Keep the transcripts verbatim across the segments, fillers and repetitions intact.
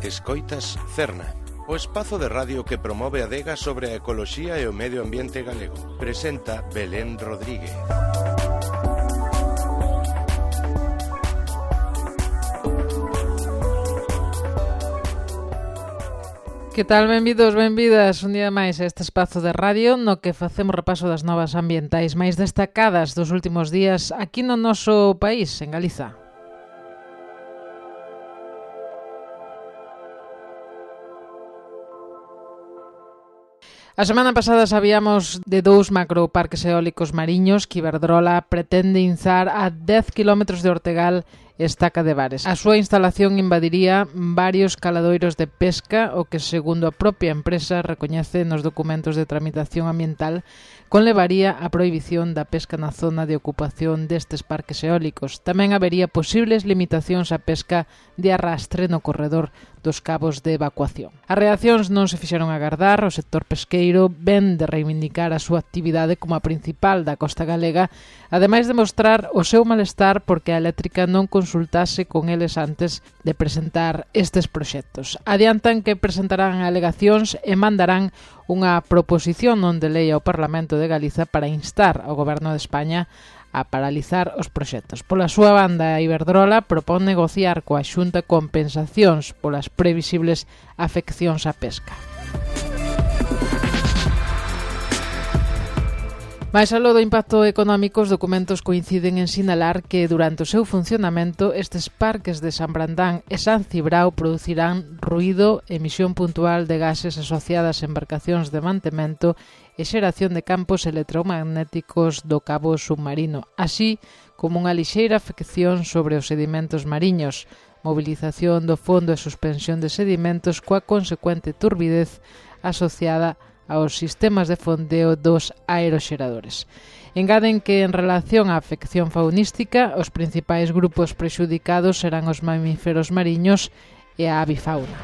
Escoitas Cerna, o espazo de radio que promove a adega sobre a ecoloxía e o medio ambiente galego. Presenta Belén Rodríguez. Que tal, benvidos, benvidas un día máis a este espazo de radio no que facemos repaso das novas ambientais máis destacadas dos últimos días aquí no noso país, en Galiza. A semana pasada sabíamos de dous macroparques eólicos mariños que Iberdrola pretende inzar a dez kilómetros de Ortegal e Estaca de Bares. A súa instalación invadiría varios caladoiros de pesca, o que, segundo a propia empresa recoñece nos documentos de tramitación ambiental, conlevaría a prohibición da pesca na zona de ocupación destes parques eólicos. Tamén habería posibles limitacións á pesca de arrastre no corredor dos cabos de evacuación. As reaccións non se fixeron agardar. O sector pesqueiro ven de reivindicar a súa actividade como a principal da costa galega, ademais de mostrar o seu malestar porque a eléctrica non consultase con eles antes de presentar estes proxectos. Adiantan que presentarán alegacións e mandarán unha proposición non de lei ao Parlamento de Galiza para instar ao Goberno de España a paralizar os proxectos. Pola súa banda, a Iberdrola propón negociar coa Xunta compensacións polas previsibles afeccións á pesca. Mais aló do impacto económico, os documentos coinciden en sinalar que durante o seu funcionamento estes parques de San Brandán e San Cibrao producirán ruído, emisión puntual de gases asociadas a embarcacións de mantemento e xeración de campos electromagnéticos do cabo submarino, así como unha lixeira afección sobre os sedimentos mariños, movilización do fondo e suspensión de sedimentos coa consecuente turbidez asociada aos sistemas de fondeo dos aeroxeradores. Engaden que en relación á afección faunística, os principais grupos prexudicados serán os mamíferos mariños e a avifauna.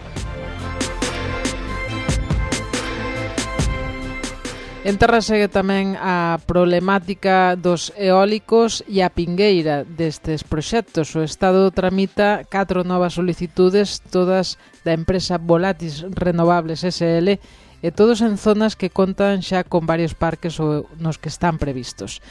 En terra segue tamén a problemática dos eólicos e a pingueira destes proxectos. O Estado tramita catro novas solicitudes, todas da empresa Volatis Renovables S L, e todos en zonas que contan xa con varios parques nos que están previstos.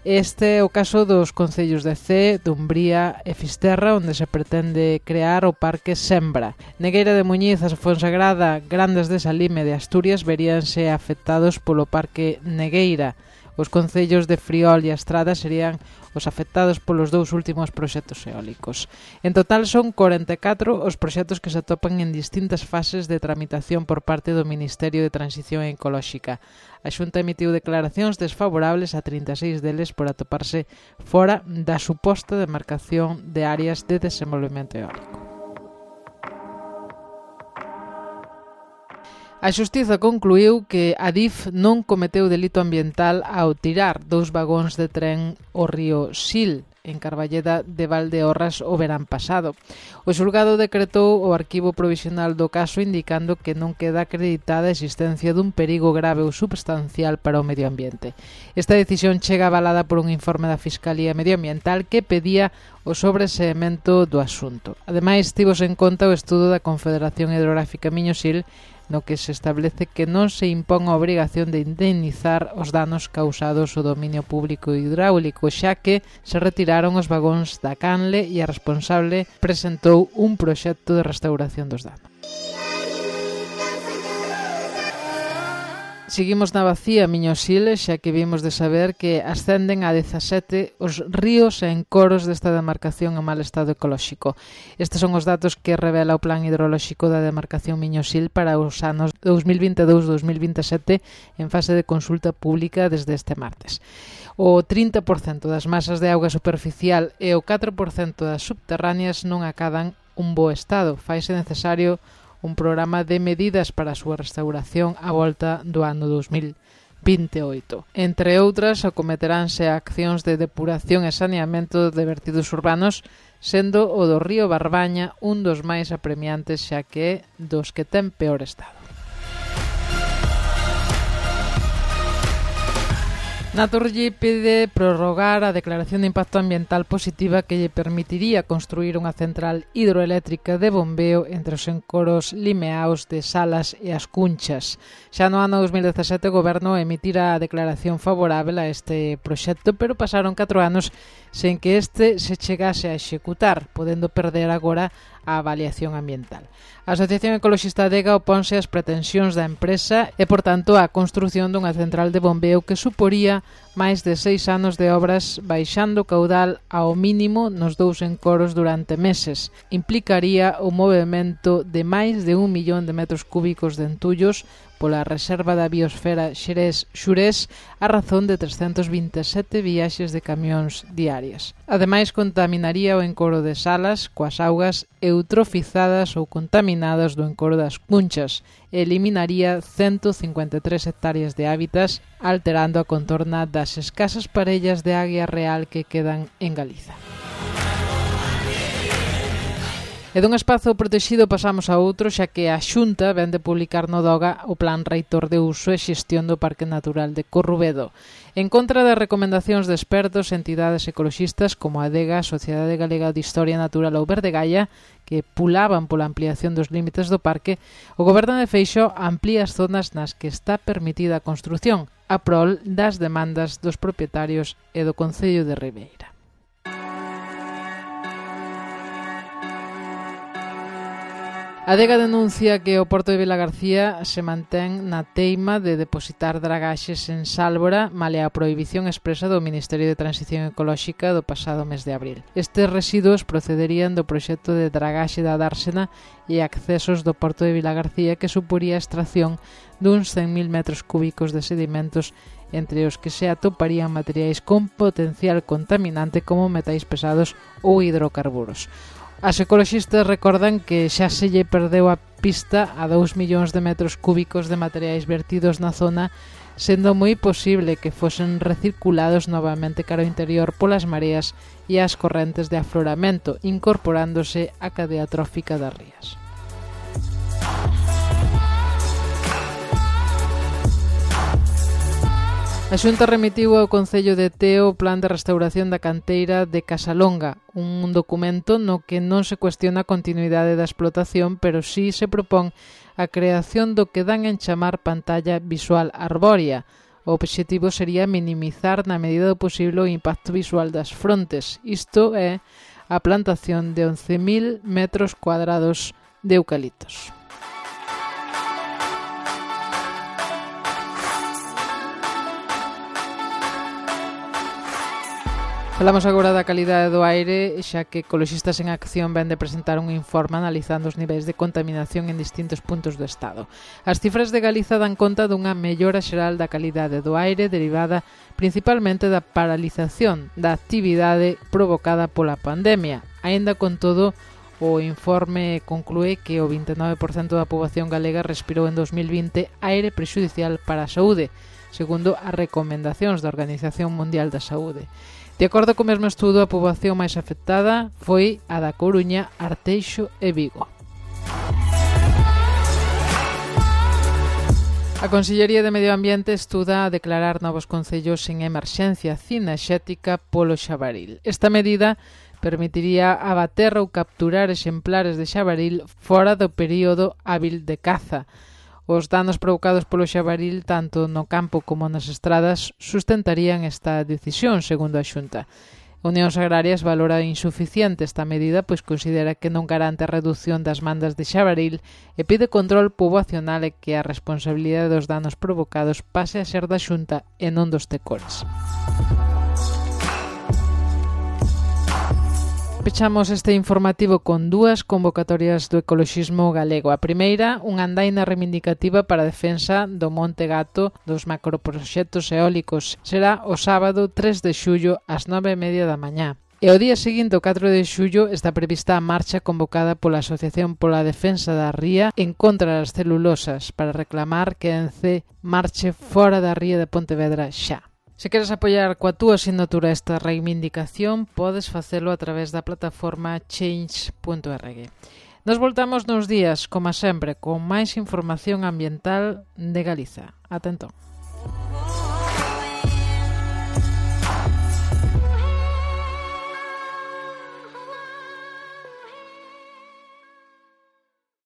Este é o caso dos concellos de Cee, Dumbría e Fisterra, onde se pretende crear o Parque Sembra. Negueira de Muñiz, a Fonsagrada, Grandes de Salime de Asturias veríanse afectados polo Parque Negueira. Os concellos de Friol e Estrada serían os afectados polos dous últimos proxectos eólicos. En total son corenta e catro os proxectos que se atopan en distintas fases de tramitación por parte do Ministerio de Transición Ecolóxica. A Xunta emitiu declaracións desfavorables a trinta e seis deles por atoparse fora da suposta demarcación de áreas de desenvolvemento eólico. A Xustiza concluíu que a D I F non cometeu delito ambiental ao tirar dous vagóns de tren ao río Sil, en Carballeda de Valdeorras, o verán pasado. O xulgado decretou o arquivo provisional do caso, indicando que non queda acreditada a existencia dun perigo grave ou substancial para o medio ambiente. Esta decisión chega avalada por un informe da Fiscalía Medioambiental que pedía o sobreseemento do asunto. Ademais, tivose en conta o estudo da Confederación Hidrográfica Miño-Sil, no que se establece que non se impón a obrigación de indemnizar os danos causados ao dominio público hidráulico, xa que se retiraron os vagóns da canle e a responsable presentou un proxecto de restauración dos danos. Seguimos na bacía Miño-Sil, xa que vimos de saber que ascenden a dezasete os ríos e encoros desta demarcación en mal estado ecolóxico. Estes son os datos que revela o Plan Hidrolóxico da demarcación Miño-Sil para os anos dos mil vinte e dous a dos mil vinte e sete en fase de consulta pública desde este martes. O trinta por cento das masas de auga superficial e o catro por cento das subterráneas non acadan un bo estado. Faise necesario un programa de medidas para a súa restauración á volta do ano dos mil vinte e oito. Entre outras, acometeránse accións de depuración e saneamento de vertidos urbanos, sendo o do río Barbaña un dos máis apremiantes, xa que é dos que ten peor estado. Naturgy pide prorrogar a declaración de impacto ambiental positiva que lle permitiría construir unha central hidroeléctrica de bombeo entre os encoros limeaos de Salas e as Cunchas. Xa no ano dos mil dezasete o Goberno emitira a declaración favorável a este proxecto, pero pasaron catro anos sen que este se chegase a executar, podendo perder agora a avaliación ambiental. A Asociación Ecoloxista Adega oponse ás pretensións da empresa e, por tanto, á construción dunha central de bombeo que suporía máis de seis anos de obras baixando o caudal ao mínimo nos dous encoros durante meses. Implicaría o movemento de máis de un millón de metros cúbicos de entullos pola reserva da biosfera Xerés-Xurés a razón de trescentos vinte e sete viaxes de camións diarias. Ademais, contaminaría o encoro de Salas coas augas eutrofizadas ou contaminadas do encoro das Cunchas e eliminaría ciento cincuenta e tres hectáreas de hábitats, alterando a contorna das escasas parellas de águia real que quedan en Galiza. E dun espazo protexido pasamos a outro, xa que a Xunta vén de publicar no DOGA o Plan Reitor de Uso e Xestión do Parque Natural de Corrubedo. En contra das recomendacións de expertos e entidades ecoloxistas como a Adega, a Sociedade Galega de Historia Natural ou Verde Gaia, que pulaban pola ampliación dos límites do parque, o Goberno de Feixóo amplía as zonas nas que está permitida a construción, a prol das demandas dos propietarios e do Concello de Ribeira. A Adega denuncia que o porto de Vilagarcía se mantén na teima de depositar dragaxes en Sálvora malia a prohibición expresa do Ministerio de Transición Ecolóxica do pasado mes de abril. Estes residuos procederían do proxecto de dragaxe da Dársena e accesos do porto de Vilagarcía que suporía a extracción duns cen mil metros cúbicos de sedimentos entre os que se atoparían materiais con potencial contaminante como metais pesados ou hidrocarburos. As ecoloxistas recordan que xa se lle perdeu a pista a dous millóns de metros cúbicos de materiais vertidos na zona, sendo moi posible que fosen recirculados novamente cara ao interior polas mareas e as correntes de afloramento, incorporándose á cadea trófica das rías. A Xunta remitiu ao Concello de Teo o Plan de Restauración da Canteira de Casalonga, un documento no que non se cuestiona a continuidade da explotación, pero sí se propón a creación do que dan en chamar pantalla visual arbórea. O obxectivo sería minimizar na medida do posible o impacto visual das frontes. Isto é a plantación de once mil metros cuadrados de eucaliptos. Falamos agora da calidade do aire, xa que Ecoloxistas en Acción ven de presentar un informe analizando os niveis de contaminación en distintos puntos do Estado. As cifras de Galiza dan conta dunha mellora xeral da calidade do aire derivada principalmente da paralización da actividade provocada pola pandemia. Aínda con todo, o informe conclúe que o vinte e nove por cento da poboación galega respirou en dos mil vinte aire prexudicial para a saúde, segundo as recomendacións da Organización Mundial da Saúde. De acordo co mesmo estudo, a poboación máis afectada foi a da Coruña, Arteixo e Vigo. A Consellería de Medio Ambiente estuda a declarar novos concellos en emerxencia cinexética polo xabaril. Esta medida permitiría abater ou capturar exemplares de xabaril fora do período hábil de caza. Os danos provocados polo xabaril, tanto no campo como nas estradas, sustentarían esta decisión, segundo a Xunta. Unións Agrarias valora insuficiente esta medida, pois considera que non garante a reducción das mandas de xabaril e pide control poboacional e que a responsabilidade dos danos provocados pase a ser da Xunta e non dos tecores. Pechamos este informativo con dúas convocatorias do ecoloxismo galego. A primeira, unha andaina reivindicativa para a defensa do Monte Gato dos macroproxectos eólicos. Será o sábado tres de xullo ás nove e media da mañá. E o día seguinte, o catro de xullo, está prevista a marcha convocada pola Asociación pola Defensa da Ría en contra das celulosas para reclamar que a ENCE marche fora da ría de Pontevedra xa. Se queres apoiar coa túa asignatura esta reivindicación, podes facelo a través da plataforma change punto org. Nos voltamos nos días, como sempre, con máis información ambiental de Galiza. Ata entón.